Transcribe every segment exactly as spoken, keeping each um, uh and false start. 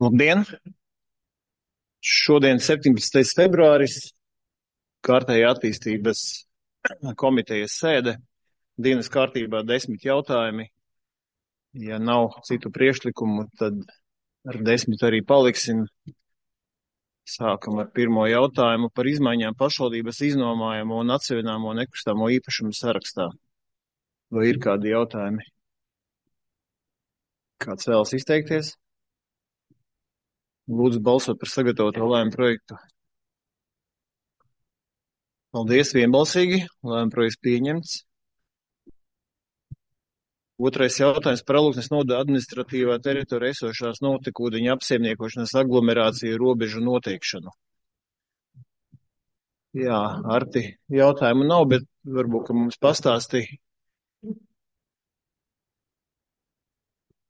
Labdien! Šodien septiņpadsmitais februāris, kārtējā attīstības komitejas sēde, dienas kārtībā desmit jautājumi. Ja nav citu priekšlikumu, tad ar desmit arī paliksim. Sākam ar pirmo jautājumu par izmaiņām pašvaldības iznomājamo un atseviļināmo nekustamo īpašumu sarakstā. Vai ir kādi jautājumi? Kāds vēlas izteikties? Lūdzu balsot par sagatavoto lēmumu projektu. Paldies, vienbalsīgi. Lēmuma projekts pieņemts. Otrais jautājums par Alūksnes novada administratīvā teritorijā esošās notekūdeņu apsaimniekošanas aglomerāciju robežu noteikšanu. Jā, Arti, jautājumu nav, bet varbūt, ka mums pastāstīja.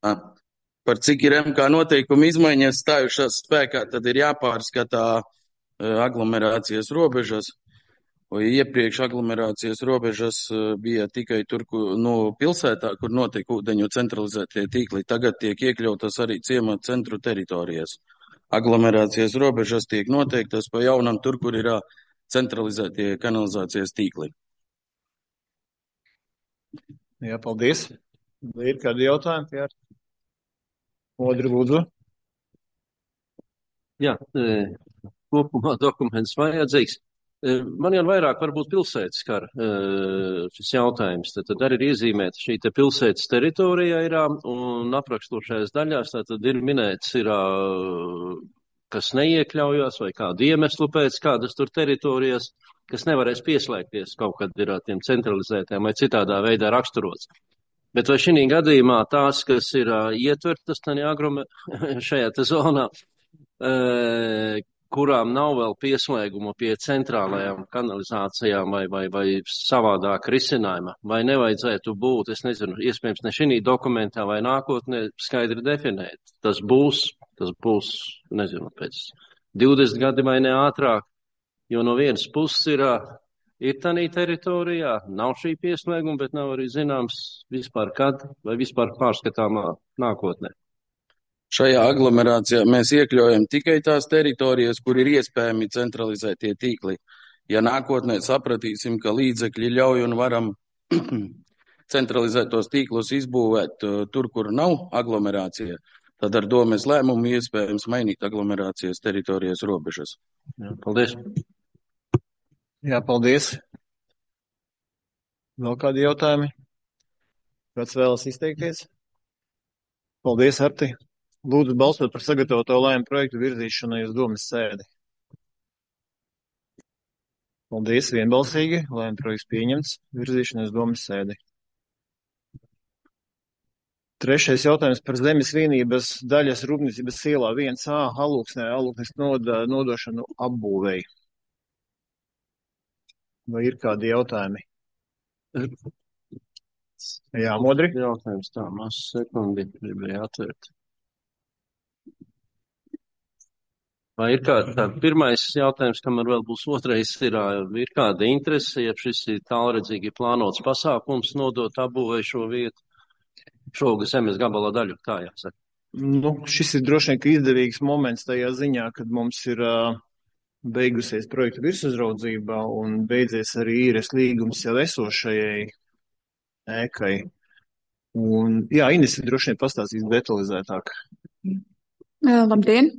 Par cik ir M K noteikumi izmaiņas stājušās spēkā, tad ir jāpārskatā aglomerācijas robežas. Iepriekš aglomerācijas robežas bija tikai tur, no pilsētā, kur notiek ūdeņu centralizētie tīkli. Tagad tiek iekļautas arī ciemata centru teritorijas. Aglomerācijas robežas tiek noteiktas pa jaunam tur, kur ir centralizētie kanalizācijas tīkli. Jā, paldies. Vai ir kādi jautājumi, Jār? Modri, lūdzu. Jā, kopumā dokuments vajadzīgs. Man jau vairāk varbūt pilsētas kar šis jautājums. Tad, tad arī ir iezīmēta šī te pilsētas teritorijā ir un aprakstošais daļās, tad ir minēts, ir, kas neiekļaujās vai kādu iemeslu pēc kādas tur teritorijas, kas nevarēs pieslēgties kaut kad ir tiem centralizētiem vai citādā veidā raksturots. Bet vai šī gadījumā tās, kas ir ietvertas šajā te zonā, kurām nav vēl pieslēguma pie centrālajām kanalizācijām vai, vai, vai savādāk risinājuma, vai nevajadzētu būt, es nezinu, iespējams ne šī dokumentā vai nākotnē skaidri definēt. Tas būs, tas būs, nezinu, pēc divdesmit gadi vai ne ātrāk, jo no vienas puses ir, ir tanī teritorijā, nav šī pieslēguma, bet nav arī zināms vispār kad vai vispār pārskatāmā nākotnē. Šajā aglomerācijā mēs iekļaujam tikai tās teritorijas, kur ir iespējami centralizētie tīkli. Ja nākotnē sapratīsim, ka līdzekļi ļauj un varam centralizētos tīklus izbūvēt tur, kur nav aglomerācija, tad ar domes lēmumu iespējams mainīt aglomerācijas teritorijas robežas. Jā, paldies. Jā, paldies. Vēl kādi jautājumi? Kāds vēlas izteikties? Paldies, Arti. Lūdzu balsot par sagatavoto lēmumu projektu virzīšanai uz domes sēdi. Paldies, vienbalsīgi. Lēmuma projekts pieņemts. Virzīšanai uz domes sēdi. Trešais jautājums par zemes vienības daļas rūpniecības ielā viens A Alūksnē, Alūksnes novada nodošanu apbūvēji. Vai ir kādi jautājumi? Jā, Modri. Jautājums tā, maz sekundi gribēja atvērt. Vai ir kāda, tā, pirmais jautājums, kamēr vēl būs otrais, ir, ir kāda interese, ja šis ir tālredzīgi plānots pasākums nodot apbūvēju šo vietu, šo zemes gabala daļu, kā jāsaka? Nu, šis ir droši vien, ka izdevīgs moments tajā ziņā, kad mums ir uh, beigusies projekta virsuzraudzība un beidzies arī īres līgums jau esošajai ēkai. Un, jā, Ines droši vien pastāstīs detalizētāk. Labdien!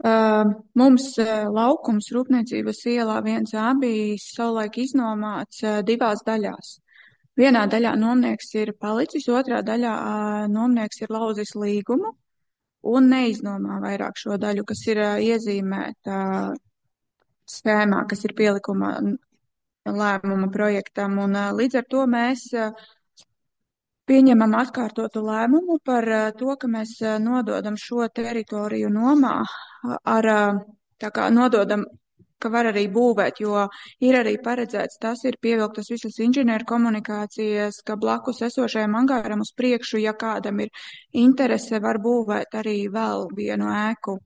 Uh, mums uh, laukums Rūpniecības ielā viens A bija savulaik iznomāts uh, divās daļās. Vienā daļā nomnieks ir palicis, otrā daļā uh, nomnieks ir lauzis līgumu un neiznomā vairāk šo daļu, kas ir uh, iezīmēta uh, schēmā, kas ir pielikumā lēmuma projektam. Un uh, līdz ar to mēs uh, pieņemam atkārtotu lēmumu par to, ka mēs nododam šo teritoriju nomā ar, tā kā nododam, ka var arī būvēt, jo ir arī paredzēts, tas ir pievilktas visas inženieru komunikācijas, ka blakus esošajam angāram uz priekšu, ja kādam ir interese, var būvēt arī vēl vienu ēku.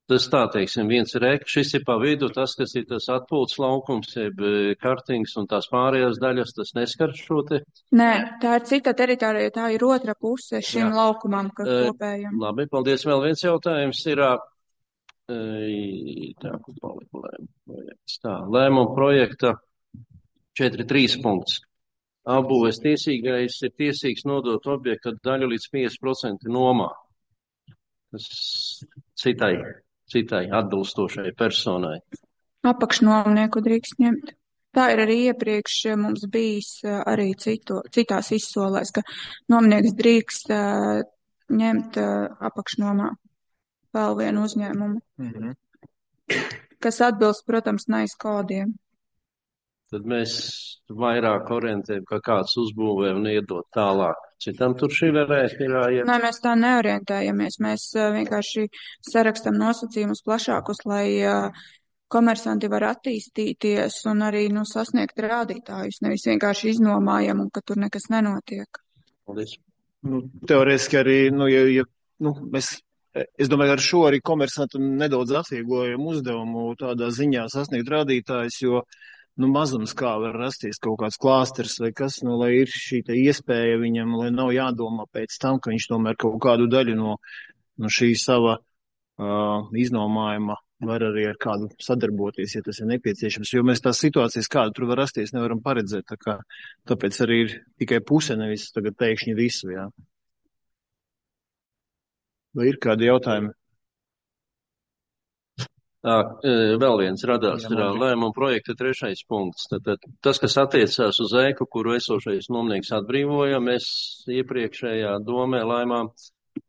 Tas tā, teiksim, viens ir ēka, šis ir pa vidu, tas, kas ir tas atpūtas laukums, jeb kartings un tās pārējās daļas, tas neskar šo te? Nē, tā ir cita teritorija, tā ir otra puse šim Jā. laukumam, kas E, kopējam. labi, paldies. Vēl viens jautājums ir, e, tā, kur palika lēmuma, tā, lēmuma projekta četri trīs punkts. Apbūves tiesīgais ir tiesīgs nodot objekta daļu līdz piecdesmit procenti nomā. Tas citai, citai atbilstošai personai. Apakšnomnieku drīkst ņemt. Tā ir arī iepriekš mums bijis arī citu, citās izsolēs, ka nomnieks drīkst uh, ņemt uh, apakšnomā vēl vienu uzņēmumu, Mhm. kas atbilst, protams, nais kodiem. Tad mēs vairāk orientējam, ka kāds uzbūvē un iedot tālāk. Citam tur šī varētu ir jāiet. Nē, mēs tā neorientējamies. Mēs uh, vienkārši sarakstam nosacījumus plašākus, lai uh, komersanti var attīstīties un arī nu, sasniegt rādītājus. Nevis vienkārši iznomājam un ka tur nekas nenotiek. Paldies. Nu, teorētiski arī, nu, ja, ja, nu, mēs, es domāju, ar šo arī komersantam nedaudz atvieglojam uzdevumu tādā ziņā sasniegt rādītājus, jo, nu, mazums kā var rasties kaut kāds klāsters vai kas, nu, lai ir šī te iespēja viņam, lai nav jādomā pēc tam, ka viņš tomēr kaut kādu daļu no, no šī sava uh, iznomājuma var arī ar kādu sadarboties, ja tas ir nepieciešams, jo mēs tās situācijas, kāda tur var rasties, nevaram paredzēt, tā kā, tāpēc arī ir tikai puse, nevis tagad teikšņi visu, jā. Vai ir kādi jautājumi? Tā, vēl viens radās Jā, ir labi. lēmuma projekta trešais punkts. Tad tas, kas attiecās uz ēku, kuru esošais nomnieks atbrīvoja, mēs iepriekšējā domē lēmām,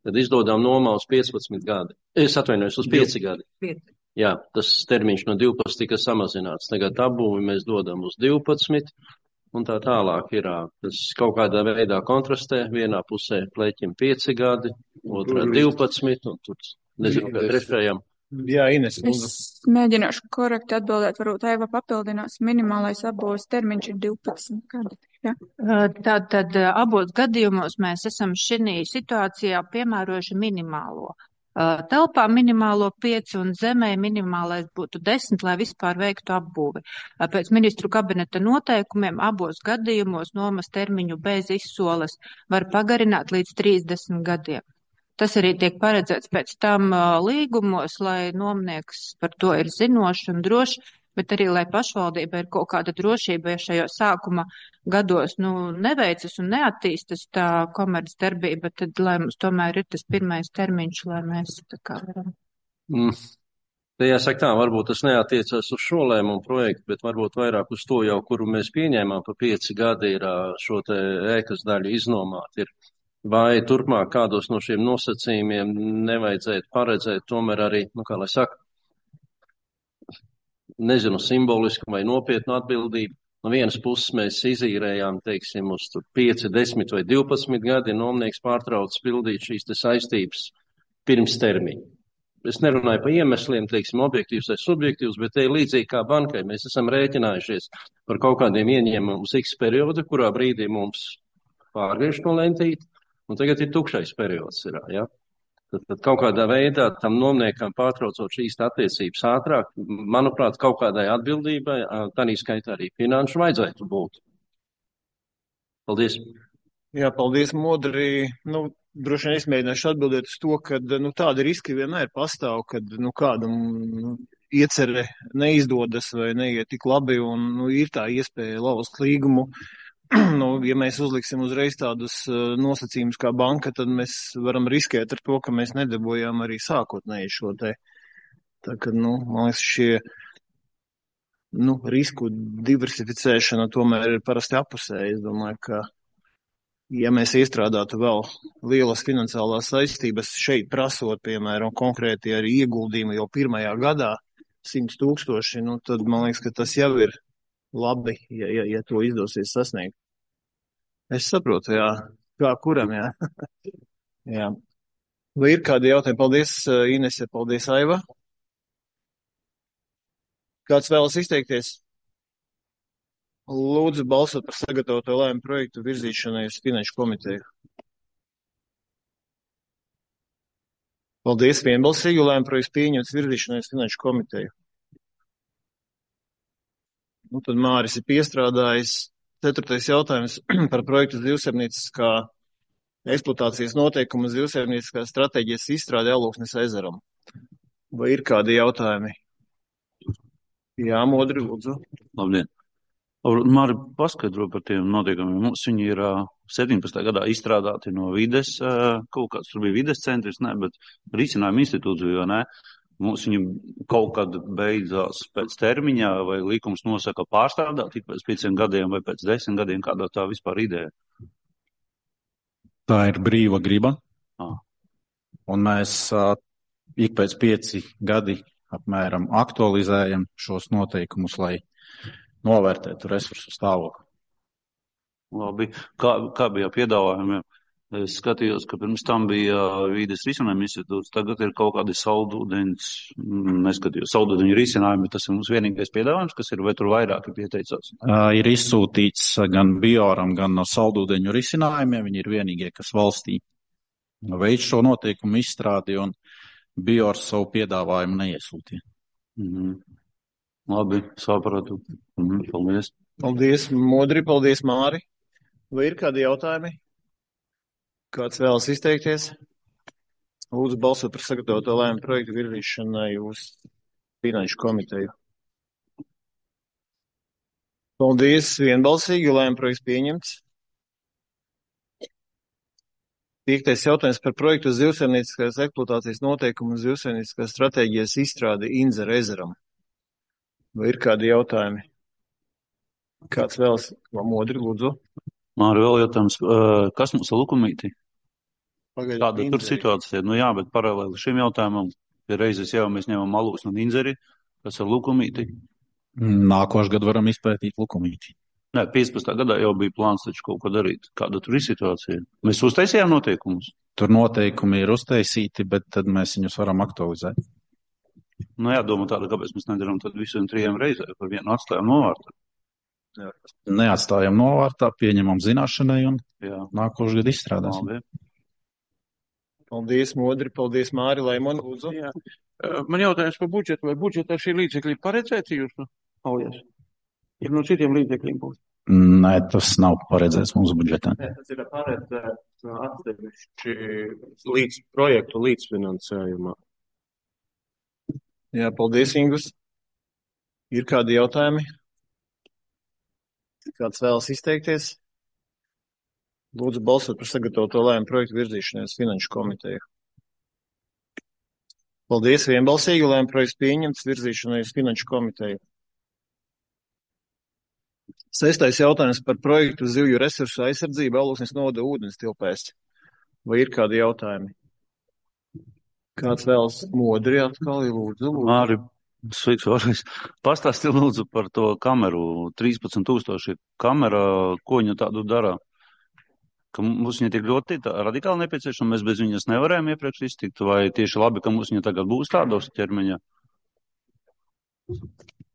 tad izdodām nomā uz piecpadsmit gadi. Es atvainojos uz pieci gadi. Pieci. Jā, tas termiņš no divpadsmit tika samazināts. Tagad apbūvi mēs dodam uz divpadsmit un tā tālāk ir. Tas kaut kādā veidā kontrastē. Vienā pusē pleķim pieci gadi, otrā divpadsmit un tur nezinu, kā trešajam. Jā, Ines, lūdzu. Es mēģināšu korekti atbildēt, varbūt Aiva papildinās. Minimālais apbūves termiņš ir divpadsmit gadi. Ja? Tātad abos gadījumos mēs esam šī situācijā piemērojuši minimālo. Telpā minimālo pieci un zemē minimālais būtu desmit, lai vispār veiktu apbūvi. Pēc ministru kabineta noteikumiem abos gadījumos nomas termiņu bez izsoles var pagarināt līdz trīsdesmit gadiem. Tas arī tiek paredzēts pēc tam līgumos, lai nomnieks par to ir zinošs un drošs, bet arī, lai pašvaldība ir kaut kāda drošība, ja šajos sākuma gados nu, neveicas un neattīstas tā komerc darbība, tad lai mums tomēr ir tas pirmais termiņš, lai mēs tā kā varam. Mm. Te jāsaka tā, varbūt tas neatiecās uz šo lēmumu projektu, bet varbūt vairāk uz to jau, kuru mēs pieņēmām pa pieci gadi ir šo te ēkas daļu iznomāt ir. Vai turpmāk kādos no šiem nosacījumiem nevajadzētu paredzēt tomēr arī, nu kā lai saka, nezinu, simbolisku vai nopietnu atbildību. No vienas puses mēs izīrējām, teiksim, uz pieci, desmit vai divpadsmit gadi, nomnieks pārtrauc pildīt šīs te saistības pirms termiņa. Es nerunāju par iemesliem, teiksim, objektīvs vai subjektīvs, bet te līdzīgi kā bankai mēs esam rēķinājušies par kaut kādiem ieņēmumiem uz X periodu, kurā brīdī mums pārgriež to lentīti, un tagad ir tukšais periods. Ir, ja? Tad, tad kaut kādā veidā tam nomniekam pārtraucot šīs attiecības ātrāk, manuprāt, kaut kādai atbildībai, tādā skaitā arī finanšu vajadzētu būt. Paldies. Jā, paldies, Modri. Nu, droši vien es mēģināšu atbildēt uz to, ka nu, tādi riski vienmēr pastāv, kad nu, kādam nu, iecere neizdodas vai neiet tik labi, un nu, ir tā iespēja lauzt līgumu. Nu, ja mēs uzliksim uzreiz tādus uh, nosacījumus kā banka, tad mēs varam riskēt ar to, ka mēs nedabojām arī sākotnēji šo te. Tā kā, nu, man liekas, šie nu, risku diversificēšana tomēr ir parasti apusēji. Es domāju, ka ja mēs iestrādātu vēl lielas finansiālās saistības šeit prasot, piemēram, konkrēti arī ieguldījumu jau pirmajā gadā simts tūkstoši, nu, tad man liekas, ka tas jau ir labi, ja, ja, ja to izdosies sasniegt. Es saprotu, jā, kā kuram, jā. jā. Vai ir kādi jautājumi? Paldies, Inese, paldies, Aiva. Kāds vēlas izteikties? Lūdzu, balsot par sagatavoto lēmumu projektu virzīšanai uz Finanšu komiteju. Paldies, vienbalsīgi, lēma projekts pieņemts virzīšanai uz Finanšu komiteju. Nu, tad Māris ir piestrādājis. Ceturtais jautājums par projektu zivsaimnieciskā eksploatācijas noteikumu zivsaimnieciskā stratēģijas izstrāde Alūksnes ezeram. Vai ir kādi jautājumi? Jā, Modri, lūdzu. Labdien. Māri, paskaidro par tiem noteikumiem. Mums viņi ir septiņpadsmitajā gadā izstrādāti no vides, kaut kāds tur bija vides centrs, ne, bet risinājuma institūcija, ne. Mums viņi kaut kad beidzās pēc termiņā, vai likums nosaka pārstrādāt tik pēc pieciem gadiem vai pēc desmit gadiem, kādā tā vispār ideja? Tā ir brīva griba. Ah. Un mēs uh, ik pēc pieci gadi apmēram aktualizējam šos noteikumus, lai novērtētu resursu stāvokli. Labi. Kā, kā bija piedāvājumiem? Es skatījos, ka pirms tam bija vīdes risinājuma institūts, tagad ir kaut kādi saldūdeņas, neskatījos, saldūdeņu risinājumi, tas ir mums vienīgais piedāvājums, kas ir, vai tur vairāki pieteicās? Uh, ir izsūtīts gan Bioram, gan no saldūdeņu risinājumiem, viņi ir vienīgie, kas valstī veids šo noteikumu izstrādi, un Biors savu piedāvājumu neiesūtīja. Mhm. Labi, sapratu. Mhm, paldies. Paldies, Modri, paldies, Māri. Vai ir kādi jautājumi? Kāds vēlas izteikties? Lūdzu balsot par sagatavoto lēmumu projektu virzīšanai uz Finanšu komiteju. Paldies, vienbalsīgi, lēmumu projekts pieņemts. Piektais jautājums par projektu zivsaimnieciskās eksploatācijas noteikumu zivsaimnieciskās stratēģijas izstrādi Inzera ezeram. Vai ir kādi jautājumi? Kāds vēlas? Modri, lūdzu. Māri, vēl jautājums, kas mums ir Lukumītī? Pagaidām, Kāda tur situācija? Nu jā, bet paralēli šim jautājumam, ja reizes jau mēs ņemam Alūksni un Inzeri, kas ir Lukumītī? Nākošu gadu varam izpētīt Lukumītī. Nē, piecpadsmitajā gadā jau bija plāns taču kaut ko darīt. Kāda tur ir situācija? Mēs uztaisījām noteikumus? Tur noteikumi ir uztaisīti, bet tad mēs viņus varam aktualizēt. Nu jā, doma tāda, kāpēc mēs nedaram tad visiem trijiem reizē, par vienu atstājam novārtā. Neatstājam novārtā, pieņemam zināšanai un Jā. nākošu gadu izstrādāsim. Labi. Paldies, Modri, paldies, Māri, Laimon, lūdzu. Jā. Man jautājums par budžetu, vai budžetā šī līdzekļi paredzēti jūsu aujās? Ir no citiem līdzekļiem būs? Nē, tas nav paredzēts mūsu budžetā. Nē, tas ir paredzēts atsevišķi līdz projektu līdzfinansējumā. Jā, paldies, Ingus. Ir kādi jautājumi? Kāds vēlas izteikties? Lūdzu balsot par sagatavoto lēmumu projektu virzīšanai uz Finanšu komiteju. Paldies, vienbalsīgi, lēmumu projekts pieņemts virzīšanai uz Finanšu komiteju. Sestais jautājums par projektu zivju resursu aizsardzību Alūksnes novada ūdens tilpēs. Vai ir kādi jautājumi? Kāds vēlas? Modri atkal, lūdzu. lūdzu. Māri, sveiks vēlreiz. Pastāsti lūdzu par to kameru, trīspadsmit tūkstoši kamera, ko viņa tādu dara? Ka mums viņa tik ļoti tā, radikāli nepieciešama, mēs bez viņas nevarējām iepriekš iztikt, vai tieši labi, ka mums viņa tagad būs tādos ķermeņa?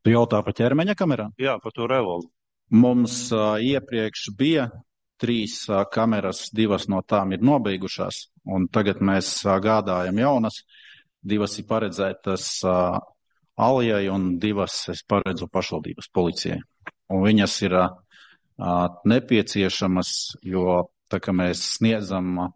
Tu jautā par ķermeņa kamerām? Jā, par to revolvu. Mums uh, iepriekš bija trīs uh, kameras, divas no tām ir nobeigušās, un tagad mēs uh, gādājam jaunas. Divas ir paredzētas uh, Alijai un divas es paredzu pašvaldības policijai. Un viņas ir uh, nepieciešamas, jo tā kā mēs sniedzam uh,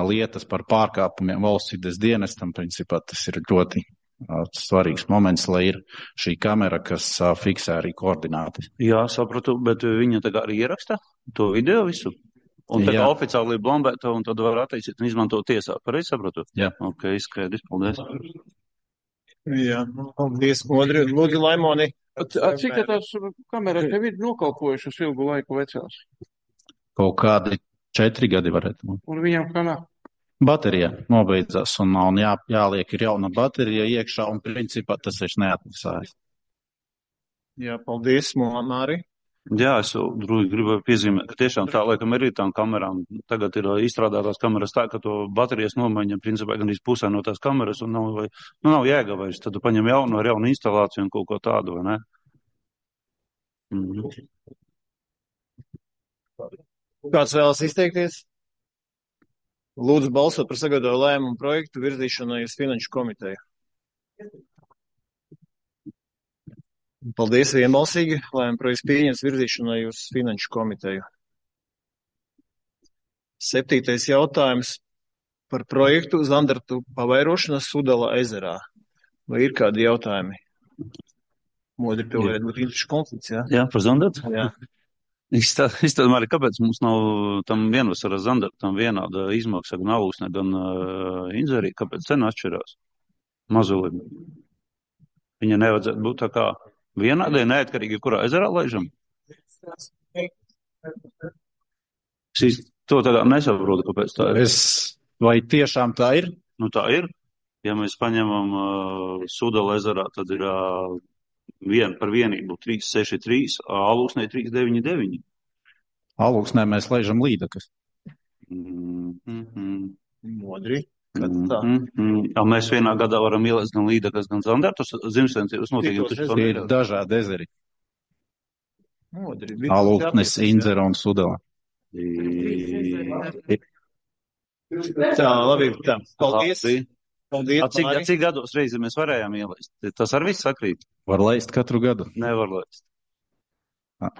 lietas par pārkāpumiem valsts vides dienestam, principā tas ir ļoti uh, svarīgs moments, lai ir šī kamera, kas uh, fiksē arī koordināti. Jā, sapratu, bet viņa tagad arī ieraksta to video visu? Un tā kā oficiāli ir blombēta un tad var attīstīt un izmantot tiesā. Pareizi sapratu? Jā. Ok, skaidrs, paldies. Jā, paldies, Modri. Lūdzu, Laimoni. Cik tās kameras tev ir nokalpojušas ilgu laiku vecās? Kaut kādi četri gadi varētu būt. Un viņam kā nav? Baterija nobeidzās un, un jā, jāliek ir jauna baterija iekšā un principā tas vairs neatmaksājas. Jā, paldies, Māri. Jā, es drūji gribēju piezīmēt, ka tiešām tā, laikam, ir tām kamerām. Tagad ir izstrādātās kameras tā, ka to baterijas nomaiņa principā gan pusē no tās kameras un nav, vai, nu, nav jēga vairs. Tad tu paņem jaunu ar jaunu instalāciju un kaut ko tādu, vai ne? Mhm. Kāds vēlas izteikties? Lūdzu balsot par sagatavotu lēmumu projektu virzīšanai uz Finanšu komiteju. Paldies vienbalsīgi. Lēmuma projekts pieņems virzīšanai uz Finanšu komiteju. Septītais jautājums par projektu Zandartu pavairošana Sudala ezerā. Vai ir kādi jautājumi? Modri, tev varētu būt interešu konflikts, jā? Jā, par Zandartu? Jā. Izstādā, Mari, kāpēc mums nav tam vienvasara Zandartam vienāda izmaksa gan Alūksnē, gan uh, Inzerī? Kāpēc cena atšķirās? Mazulim. Viņa nevajadzētu būt tā kā vienādai, neatkarīgi, kurā ezerā laižam? Es to tādā nesaprotu, kāpēc tā ir. Es, vai tiešām tā ir? Nu tā ir. Ja mēs paņemam uh, Sudala ezerā, tad ir uh, vien, par vienību trīs seši trīs, Alūksnē trīs deviņi deviņi. Alūksnē mēs laižam līdakas. Mm -hmm. Modri. Kad tā? Mm -hmm. Mēs vienā gadā varam ielaist gan līdakas, gan Zandartus. Zimsensības noteikti ir dažādi ezeri. Modri. Alūksnes, Inzera un Sudala. Tā, labi. Tā. Paldies. Paldies. A, cik, a, cik gados reizi mēs varējām ielaist? Tas ar visu sakrīt? Var laist katru gadu. Nevar laist. A.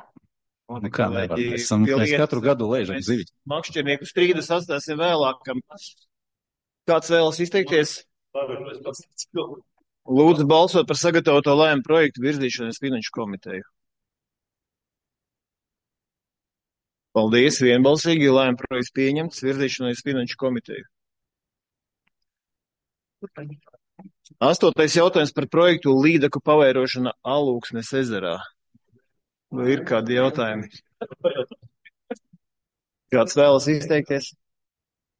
Nu kā nevar? Mēs, esam, mēs katru gadu laižam zivi. Makšķernieku strīdus atstāsim vēlākam. Kāds vēlas izteikties? Lūdzu balsot par sagatavoto lēmumu projektu virzīšanas Finanšu komiteju. Paldies, vienbalsīgi, lēmuma projekts pieņemts virzīšanai uz Finanšu komiteju. Astotais jautājums par projektu līdaku pavairošana Alūksnes ezerā. Vai ir kādi jautājumi? Kāds vēlas izteikties?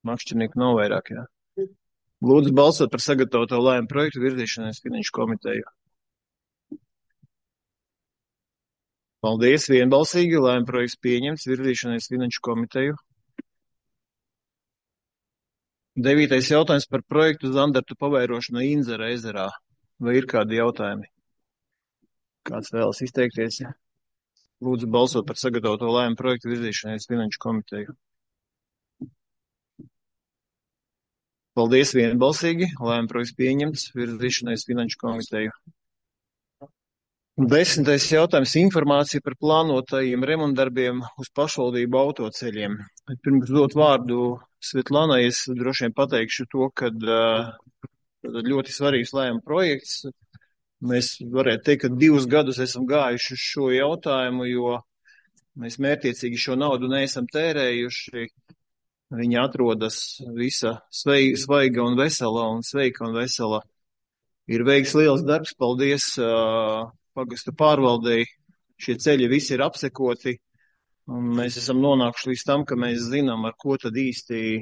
Makšķernieku nav vairāk, jā. Lūdzu balsot par sagatavoto lēmumu projektu virzīšanai uz Finanšu komiteju. Paldies, vienbalsīgi, lēmuma projekts pieņemts virzīšanai uz Finanšu komiteju. Devītais jautājums par projektu Zandartu pavairošana Inzera ezerā. Vai ir kādi jautājumi? Kāds vēlas izteikties? Ja? Lūdzu balsot par sagatavoto lēmumu projektu virzīšanai uz Finanšu komiteju. Paldies, vienbalsīgi, lēmuma projekts pieņemts virzīšanai uz Finanšu komiteju. Desmitais jautājums - informācija par plānotajiem remontdarbiem uz pašvaldību autoceļiem. Pirms dot vārdu Svetlanai, es droši vien pateikšu to, ka uh, ļoti svarīgs lēmuma projekts. Mēs varētu teikt, ka divus gadus esam gājuši uz šo jautājumu, jo mēs mērķiecīgi šo naudu neesam tērējuši. Viņa atrodas visa svaiga un vesela un sveika un vesela. Ir veikts liels darbs, paldies uh, pagastu pārvaldei. Šie ceļi visi ir apsekoti. Un mēs esam nonākuši līdz tam, ka mēs zinām, ar ko tad īsti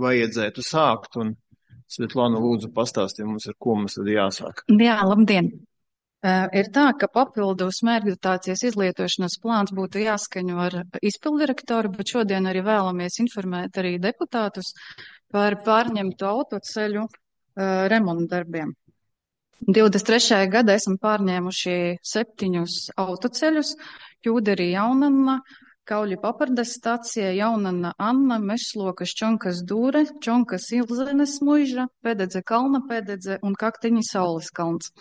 vajadzētu sākt. Un Svetlana, lūdzu, pastāstīja mums, ar ko mums tad jāsāk. Jā, labdien! Uh, ir tā, ka papildus mērķdotācijas izlietošanas plāns būtu jāskaņo ar izpildirektoru, bet šodien arī vēlamies informēt arī deputātus par pārņemtu autoceļu uh, remontdarbiem. divdesmit trešajā gadā esam pārņēmuši septiņus autoceļus - Jūderī Jaunanna, Kauļu papardes stacija, Jaunanna Anna, Mešlokas Čonkas Dūre, Čonkas Ilzenes muiža, Pēdedze Kalna Pēdedze un Kakteņi Saules kalns.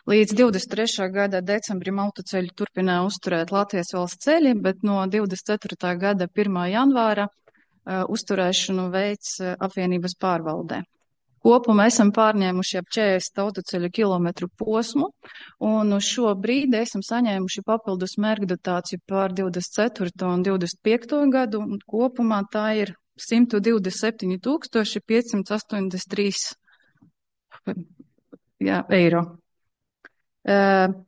Līdz divdesmit trešā gada decembrim autoceļu turpināja uzturēt Latvijas valsts ceļi, bet no divdesmit ceturtā gada pirmā janvāra uh, uzturēšanu veids uh, apvienības pārvaldē. Kopumā esam pārņēmuši ap četrdesmit autoceļu kilometru posmu, un uz šo brīdi esam saņēmuši papildus mērķdotāciju pār divdesmit ceturto un divdesmit piekto gadu, un kopumā tā ir simt divdesmit septiņi tūkstoši piecsimt astoņdesmit trīs jā, eiro. Uh,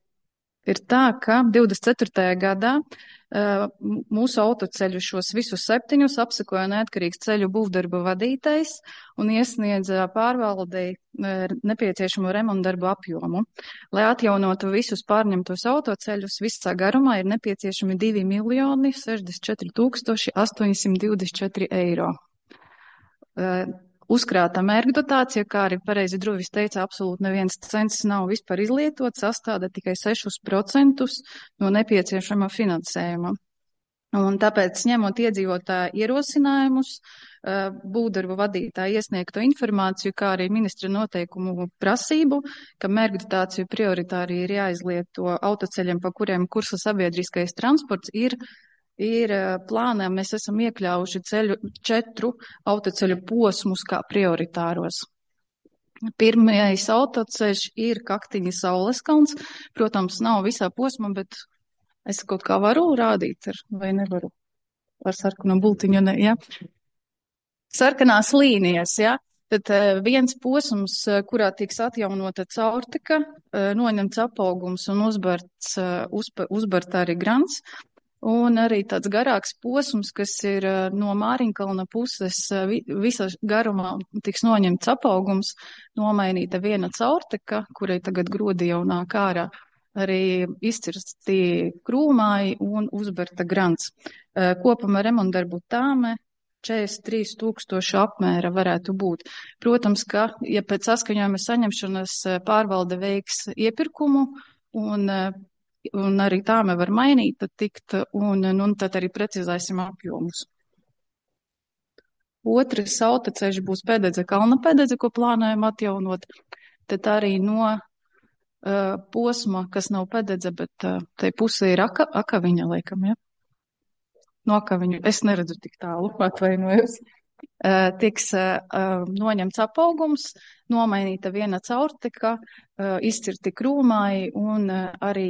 ir tā, ka divdesmit ceturtajā gadā uh, mūsu autoceļu šos visus septiņus apsekoja neatkarīgs ceļu būvdarbu vadītājs un iesniedza pārvaldei uh, nepieciešamo remontdarbu apjomu. Lai atjaunotu visus pārņemtos autoceļus, visā garumā ir nepieciešami divi miljoni sešdesmit četri tūkstoši astoņsimt divdesmit četri eiro. Uh, Uzkrāta mērķdotācija, kā arī pareizi Druvis teica, absolūti neviens cents nav vispār izlietots, sastāda tikai sešus procentus no nepieciešama finansējuma. Un tāpēc, ņemot iedzīvotāju ierosinājumus, būvdarbu vadītāju iesniegto informāciju, kā arī ministra noteikumu prasību, ka mērgritāciju prioritāri ir jāizlieto autoceļiem, pa kuriem kursa sabiedriskais transports, ir, ir plānā. Mēs esam iekļaujuši ceļu, četru autoceļu posmus kā prioritāros. Pirmais autoceļš ir Kaktiņa Sauleskalns. Protams, nav visā posmā, bet es kaut kā varu rādīt, ar, vai nevaru ar sarkanu bultiņu, ne, ja? Sarkanās līnijas, ja? Tad viens posms, kurā tiks atjaunota caurteka, noņemts apaugums un uzbarts, uzba, uzbart arī grants. Un arī tāds garāks posms, kas ir no Māriņkalna puses, visā garumā tiks noņemts apaugums, nomainīta viena caurteka, kurai tagad grodi jau nāk ārā. Arī izcirsti krūmāji un uzberta grants. Kopumā remontdarbu tāme četrdesmit trīs tūkstoši apmēra varētu būt. Protams, ka, ja pēc saskaņojuma saņemšanas pārvalde veiks iepirkumu un, un arī tāme var mainīt, tad tikt, un, un tad arī precizēsim apjomus. Otrs autoceļš būs Pēdedze, Kalna Pēdedze, ko plānojam atjaunot. Tad arī no Uh, posma, kas nav Pēdedze, bet uh, tai pusē ir aka, Akaviņa, laikam, ja? No Akaviņu, es neredzu tik tālu, atvainojos. Uh, tiks uh, noņemts apaugums, nomainīta viena caurteka, uh, izcirti krūmāji un, uh, arī,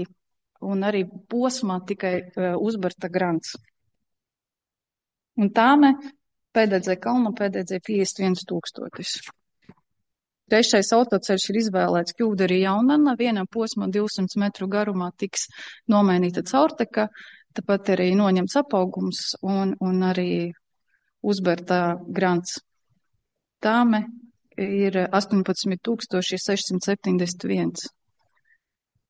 un arī posmā tikai uh, uzbarta grants. Un tāme Pēdedze, Kalna Pēdedze piecdesmit viens tūkstotis. Trešais autoceļš ir izvēlēts Kļūderi Jaunana, vienam posmam divsimt metru garumā tiks nomainīta caurteka, tāpat arī noņemts apaugums un, un arī uzberta grants. Tāme ir astoņpadsmit tūkstoši sešsimt septiņdesmit viens.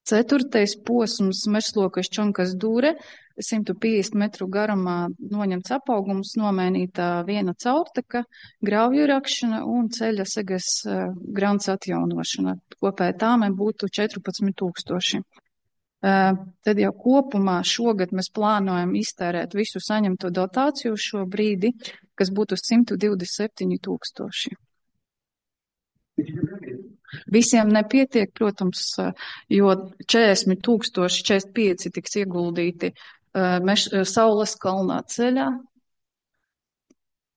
Ceturtais posms Mežslokas Čonkas Dūre, simt piecdesmit metru garumā noņemts apaugums, nomainīta viena caurteka, grauju rakšana un ceļa segas uh, grants atjaunošana. Kopēja tāme būtu četrpadsmit tūkstoši. Uh, tad jau kopumā šogad mēs plānojam iztērēt visu saņemto dotāciju šo brīdi, kas būtu simt divdesmit septiņi tūkstoši. Visiem nepietiek, protams, jo četrdesmit tūkstoši četrdesmit pieci tiks ieguldīti uh, meš, uh, Saules kalnā ceļā.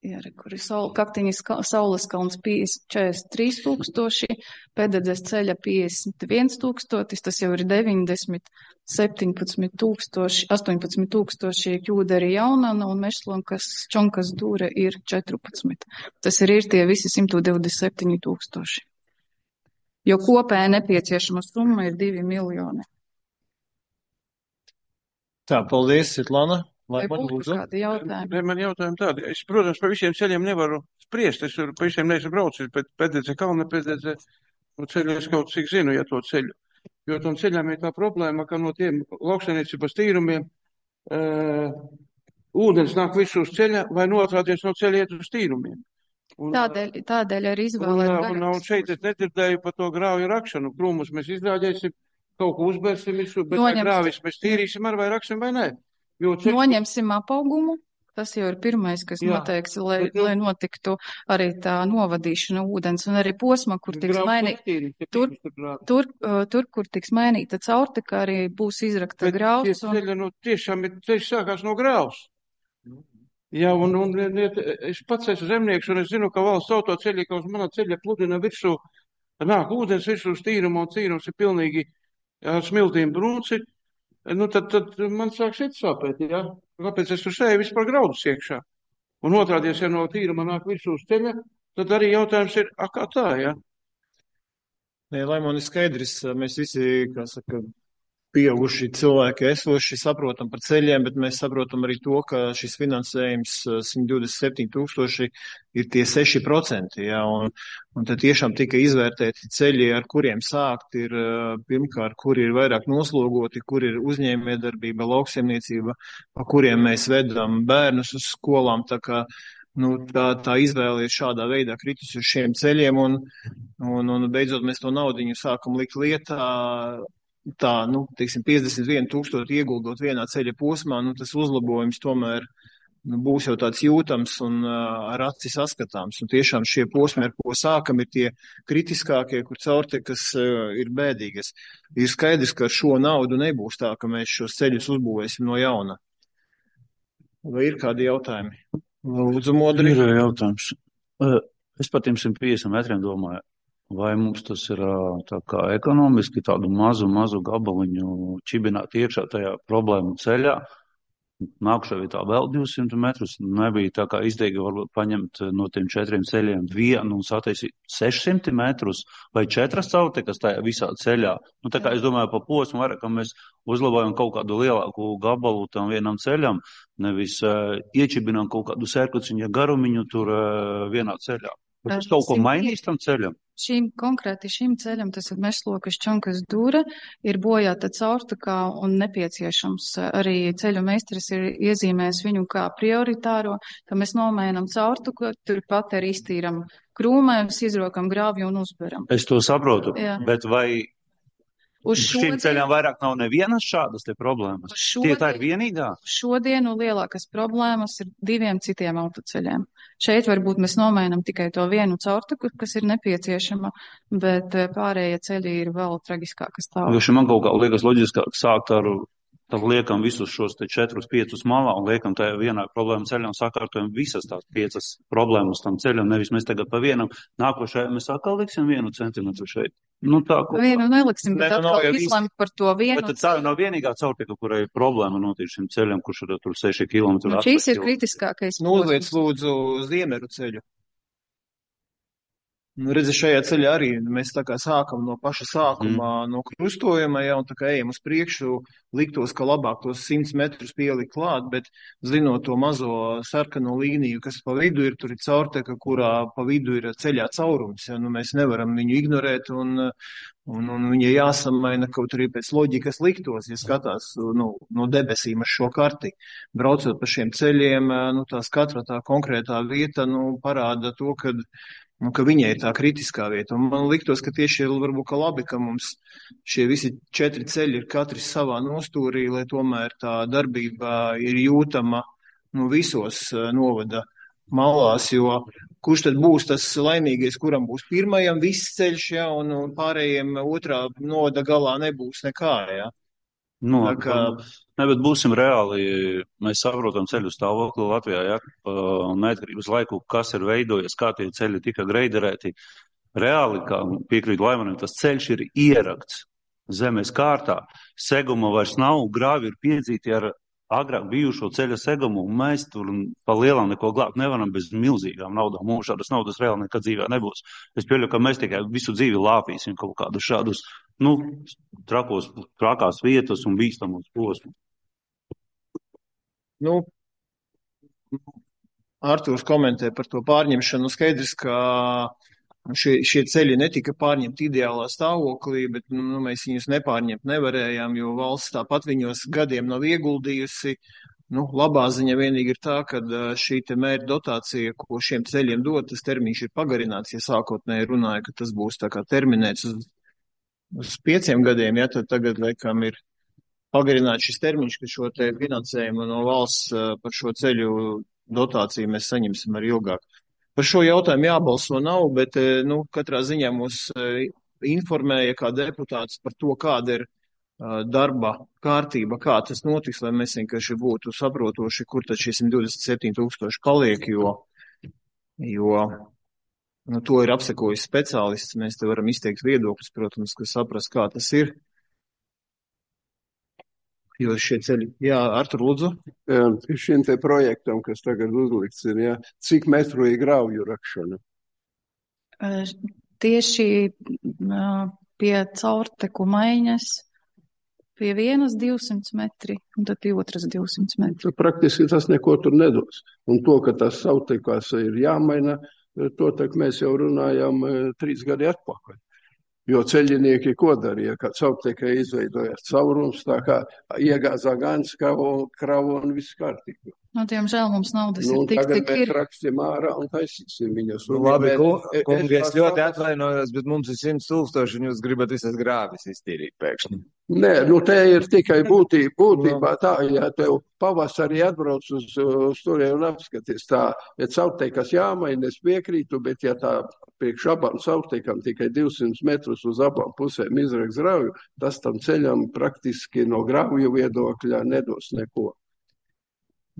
Jā, kur ir saul, Kaktiņas Saules kalns četrdesmit trīs tūkstoši, Pēdedzes ceļa piecdesmit viens tūkstotis, tas jau ir deviņdesmit, septiņpadsmit tūkstoši, astoņpadsmit tūkstoši Kļūderi Jaunana un Mežslokas Čonkas Dūre ir četrpadsmit. Tas ir, ir tie visi simt divdesmit septiņi tūkstoši. Jo kopēja nepieciešama summa ir divi miljoni. Tā, paldies, Svetlana. Vai būtu kādi jautājumi? Man jautājumi tādi. Es, protams, pa visiem ceļiem nevaru spriest. Es pa visiem neesmu braucis, bet Pēdedze, Kalna Pēdedze, no ceļu es kaut cik zinu, ja to ceļu. Jo tam ceļām ir tā problēma, ka no tiem lauksaimniecības tīrumiem uh, ūdens nāk visu uz ceļa vai noatrāties no ceļa iet uz tīrumiem. Un, tādēļ, tādēļ arī izvēlēt. Un, un, un šeit es nedzirdēju par to grauju rakšanu. Krūmus mēs izrādēsim, kaut ko uzbērsim visu, bet Noņems... grāvis mēs tīrīsim ar vai raksim vai nē. Jo ceļ... Noņemsim apaugumu. Tas jau ir pirmais, kas Jā, noteiks, lai, bet, nu... lai notiktu arī tā novadīšana ūdens un arī posma, kur tiks mainīta. Tur, tur, tur, kur tiks mainīta caurteka, arī būs izrakta bet graus. Un... Ceļa, nu, tiešām ir ceļš sākās no graus. Jā, un, un es pats esmu zemnieks, un es zinu, ka valsts autoceļi, ka uz manā ceļa pludina virsū, nāk ūdens virsū uz tīrumu, un tīrums ir pilnīgi ar smiltīm brūci, nu tad, tad man sāk šeit sāpēt, jā. Kāpēc es tur sēju vispār graudus iekšā? Un otrādies, ja no tīruma nāk virsū uz ceļa, tad arī jautājums ir, a, kā tā, jā? Nē, lai man ir skaidrs, mēs visi, kā saka, pieauguši cilvēki esoši saprotam par ceļiem, bet mēs saprotam arī to, ka šis finansējums simt divdesmit septiņi tūkstoši ir tie seši procenti, ja, un, un tad tiešām tika izvērtēti ceļi, ar kuriem sākt ir pirmkārt, kur ir vairāk noslogoti, kur ir uzņēmējdarbība, lauksaimniecība, pa kuriem mēs vedam bērnus uz skolām, tā kā nu, tā, tā izvēle ir šādā veidā kritusi uz šiem ceļiem, un, un, un beidzot mēs to naudiņu sākam likt lietā, tā, nu, teiksim, piecdesmit vienu tūkstoši ieguldot vienā ceļa posmā, nu, tas uzlabojums tomēr nu, būs jau tāds jūtams un uh, ar aci saskatāms. Un tiešām šie posmi, ar ko sākam, ir tie kritiskākie, kur caurtekas uh, ir bēdīgas. Ir skaidrs, ka ar šo naudu nebūs tā, ka mēs šos ceļus uzbūvēsim no jauna. Vai ir kādi jautājumi? Lūdzu, Modri. Ir jautājums. Es par tiem simt piecdesmit metriem domāju, vai mums tas ir tā kā ekonomiski tādu mazu, mazu gabaliņu čibināt iekšā tajā problēmu ceļā. Nākušā vietā vēl divsimt metrus. Nebija tā kā izdevīgi varbūt paņemt no tiem četriem ceļiem vienu un sataisīt sešsimt metrus vai četras caurtekas tajā visā ceļā. Nu, tā kā es domāju pa posmu vairāk, ka mēs uzlabojam kaut kādu lielāku gabalu tam vienam ceļam, nevis uh, iečibinām kaut kādu sērkociņa garumiņu tur uh, vienā ceļā. Vai tas kaut ko mainīs tam ceļam? Šīm, konkrēti šim ceļam, tas ir Mešlokas Čonkas dūra, ir bojāta caurtekā un nepieciešams arī ceļu meistars ir iezīmējis viņu kā prioritāro, ka mēs nomainam caurteku, turpat arī iztīram krūmēm, izrokam grāvju un uzberam. Es to saprotu, Jā. Bet vai uz šīm ceļām vairāk nav nevienas šādas te problēmas? Tie tā ir vienīgā? Šodienu lielākas problēmas ir diviem citiem autoceļiem. Šeit varbūt mēs nomainam tikai to vienu caurteku, kas ir nepieciešama, bet pārējie ceļi ir vēl tragiskākas tālāk. Jo šim man kaut kā liekas loģiskāk sākt ar, tad liekam visus šos te četrus, piecus malā un liekam tajā vienā problēmu ceļā un sakārtojam visas tās piecas problēmas tam ceļam, nevis mēs tagad pa vienam nākošajā mēs atkal liksim vienu centimetru šeit. Nu, tā, ko... Vienu neliksim, bet ne, atkal izlemt par to vienu. Bet tad tā nav vienīgā caurteka, kurai ir problēma notiek šim ceļam, kurš ir tur seši kilometri. Nu, šīs ir kritiskākais. Nu, uzliec lūdzu Ziemeru ceļu. Nu, redzi, šajā ceļā arī mēs tā kā sākam no paša sākumā, mm. no krustojuma, ja, un tā kā ejam uz priekšu, liktos, ka labāk tos simts metrus pielikt klāt, bet zinot to mazo sarkano līniju, kas pa vidu ir, tur ir caurteka, kurā pa vidu ir ceļā caurums, ja, nu mēs nevaram viņu ignorēt, un, un, un viņa jāsamaina kaut arī pēc loģikas liktos, ja skatās nu, no debesīm ar šo karti. Braucot pa šiem ceļiem, nu, tās katra tā konkrētā vieta, nu, parāda to, ka Nu, ka viņai ir tā kritiskā vieta. Un man liktos, ka tieši ir varbūt ka labi, ka mums šie visi četri ceļi ir katrs savā nostūrī, lai tomēr tā darbība ir jūtama nu, visos novada malās, jo kurš tad būs tas laimīgais, kuram būs pirmajam viss ceļš, ja, un, un pārējiem otrā novada galā nebūs nekā, ja. Nu, kā... ne, bet būsim reāli, mēs saprotam ceļu stāvokli Latvijā, ja, neatkarības laiku, kas ir veidojies, kā tie ceļi tika greiderēti. Reāli, kā piekrīt Laimanim, tas ceļš ir ierakts zemes kārtā, seguma vairs nav, grāvi ir piedzīti ar agrāk bijušo ceļa segumu, un mēs tur pa lielām neko glābt nevaram bez milzīgām naudām. Mums šādas naudas reāli nekad dzīvē nebūs. Es pieļauju, ka mēs tikai visu dzīvi lāpīsim kaut kādus šādus nu, trakos, trakās vietas un bīstamos posmus. Nu, Artūrs komentē par to pārņemšanu. Skaidrs, ka šie, šie ceļi netika pārņemti ideālā stāvoklī, bet nu, mēs viņus nepārņemt nevarējām, jo valsts tāpat viņos gadiem nav ieguldījusi. Nu, labā ziņa vienīgi ir tā, ka šī te mērķa dotācija, ko šiem ceļiem dod, tas termiņš ir pagarināts. Ja sākotnēji runāja, ka tas būs tā kā terminēts uz uz pieciem gadiem, ja, tad tagad, laikam, ir pagarināts šis termiņš, ka šo te finansējumu no valsts par šo ceļu dotāciju mēs saņemsim arī ilgāk. Par šo jautājumu jābalso nav, bet, nu, katrā ziņā mūs informēja kā deputāts par to, kāda ir darba kārtība, kā tas notiks, lai mēs vienkārši būtu saprotoši, kur tad šie simt divdesmit septiņi tūkstoši paliek, jo, jo Nu, to ir apsekojis speciālists, mēs te varam izteikt viedokļus, protams, ka saprast, kā tas ir. Jo šie ceļi, jā, Artur, lūdzu. Jā, šim te projektam, kas tagad uzlikts ir, jā, cik metru ir grauju rakšana? Tieši pie caurteku maiņas, pie vienas divsimt metri, un tad pie otras divsimt metri. Praktiski tas neko tur nedos. Un to, ka tas caurtekās ir jāmaina, to tak mēs jau runājām trīs gadi atpakaļ. Jo ceļinieki ko darīja, kad caurtekai izveidojās caurums, tā kā iegāzā gan kravu, kravu un viss kārtīgi. Nu, diemžēl mums naudas Nu, ir un tik, tagad cik mēs ir. rakstīsim ārā un taisīsim viņus. Nu, Un, labi, bet ku- es kungi, es tās ļoti naudas- atvainojos, bet mums ir simts tūkstoši, un jūs gribat visas grāvis iztīrīt pēkšņi. Nē, nu te ir tikai būtī, būtībā tā, ja tev pavasarī atbrauc uz, uz turien un apskaties tā, ja caurteikas jāmaina, es piekrītu, bet ja tā priekš abām caurteikām tikai divsimt metrus uz abām pusēm izraks grauju, tas tam ceļam praktiski no grauju viedokļa nedos neko.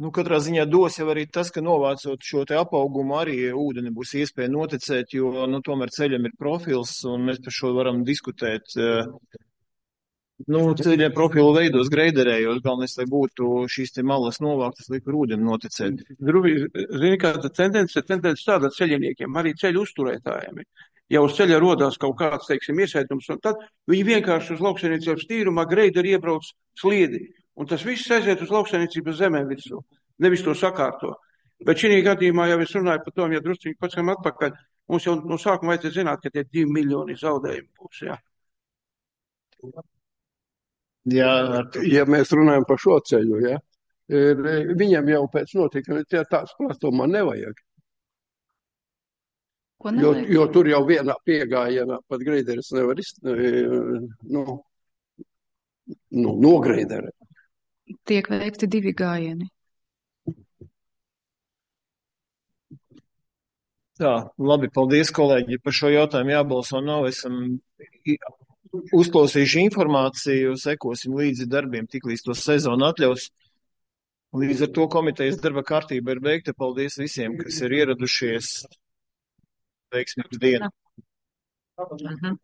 Nu, katrā ziņā dos jau arī tas, ka novācot šo te apaugumu arī ūdeni būs iespēja noticēt, jo, nu, tomēr ceļam ir profils, un mēs par šo varam diskutēt. Nu, ceļiem profilu veidos greiderējot, galvenais, lai būtu šīs te malas novāktas, lai par ūdeni noticēt. Drubi, zini, kāda tendence, tendence tāda ceļiniekiem, arī ceļu uzturētājiem. Ja uz ceļa rodās kaut kāds, teiksim, iesaitums, un tad viņi vienkārši uz lauksaimniecības tīrumā greideri iebrauc sliedi. Un tas viss aiziet uz lauksaimniecības zemēm virsū, nevis to sakārto. Bet šī gadījumā jau es runāju par to, ja drusciņi pacem atpakaļ, mums jau no sākuma vajadzētu zināt, ka tie divi miljoni zaudējumi būs, jā. Jā, ja mēs runājam par šo ceļu, ja, ir, viņam jau pēc notikuma tie tāds platuma nevajag. Ko Jo, nevajag? jo tur jau vienā piegājienā pat greideris nevar iz, nu, nu, nogreiderēt. Tiek veikti divi gājieni. Tā, labi, paldies, kolēģi, par šo jautājumu jābalso nav. Esam uzklausījuši informāciju, sekosim līdzi darbiem, tiklīdz to sezonu atļaus. Līdz ar to komitejas darba kārtība ir beigta. Paldies visiem, kas ir ieradušies. Veiksmīgu dienu. Mhm.